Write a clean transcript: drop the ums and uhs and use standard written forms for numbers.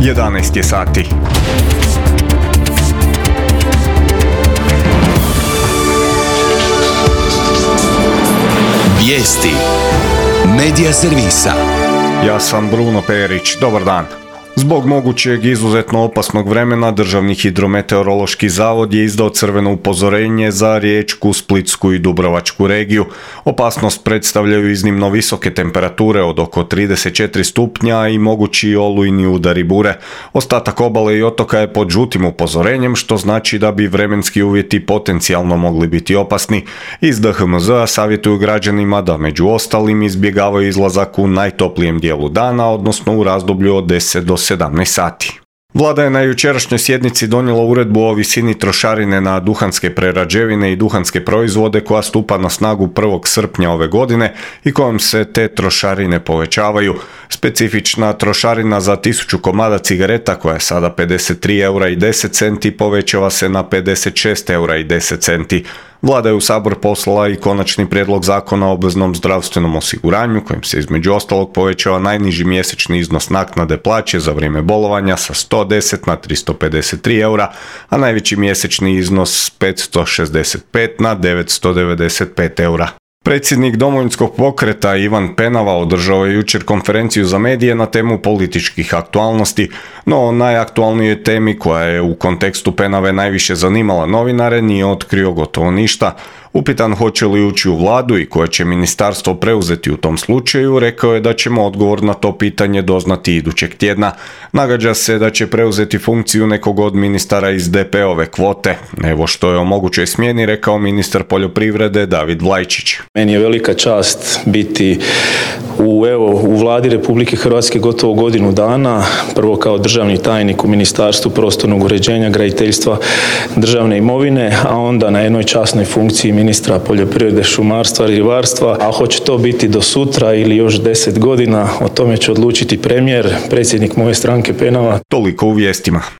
11 je sati. Vijesti Medija servisa. Ja sam Bruno Perić, dobar dan. Zbog mogućeg izuzetno opasnog vremena, Državni hidrometeorološki zavod je izdao crveno upozorenje za Riječku, Splitsku i Dubrovačku regiju. Opasnost predstavljaju iznimno visoke temperature od oko 34 stupnja i mogući olujni udari bure. Ostatak obale i otoka je pod žutim upozorenjem, što znači da bi vremenski uvjeti potencijalno mogli biti opasni. Iz DHMZ-a savjetuju građanima da među ostalim izbjegavaju izlazak u najtoplijem dijelu dana, odnosno u razdoblju od 10 do 17 sati. Vlada je na jučerašnjoj sjednici donijela uredbu o visini trošarine na duhanske prerađevine i duhanske proizvode koja stupa na snagu 1. srpnja ove godine i kojom se te trošarine povećavaju. Specifična trošarina za 1000 komada cigareta, koja je sada 53,10 € povećava se na 56,10 €. Vlada je u Sabor poslala i konačni prijedlog zakona o obveznom zdravstvenom osiguranju, kojim se između ostalog povećava najniži mjesečni iznos naknade plaće za vrijeme bolovanja sa 110 na 353 €, a najveći mjesečni iznos s 565 na 995 €. Predsjednik Domovinskog pokreta Ivan Penava održao je jučer konferenciju za medije na temu političkih aktualnosti, no o najaktualnijoj temi koja je u kontekstu Penave najviše zanimala novinare nije otkrio gotovo ništa. Upitan hoće li ući u vladu i koje će ministarstvo preuzeti u tom slučaju, rekao je da ćemo odgovor na to pitanje doznati idućeg tjedna. Nagađa se da će preuzeti funkciju nekog od ministara iz DP-ove kvote. Evo što je o mogućoj smjeni rekao ministar poljoprivrede David Vlajčić. Meni je velika čast biti u Vladi Republike Hrvatske gotovo godinu dana, prvo kao državni tajnik u Ministarstvu prostornog uređenja, graditeljstva, državne imovine, a onda na jednoj časnoj funkciji ministra poljoprivrede, šumarstva, ribarstva, a hoće to biti do sutra ili još 10 godina, o tome će odlučiti premijer, predsjednik moje stranke Penava. Toliko u vijestima.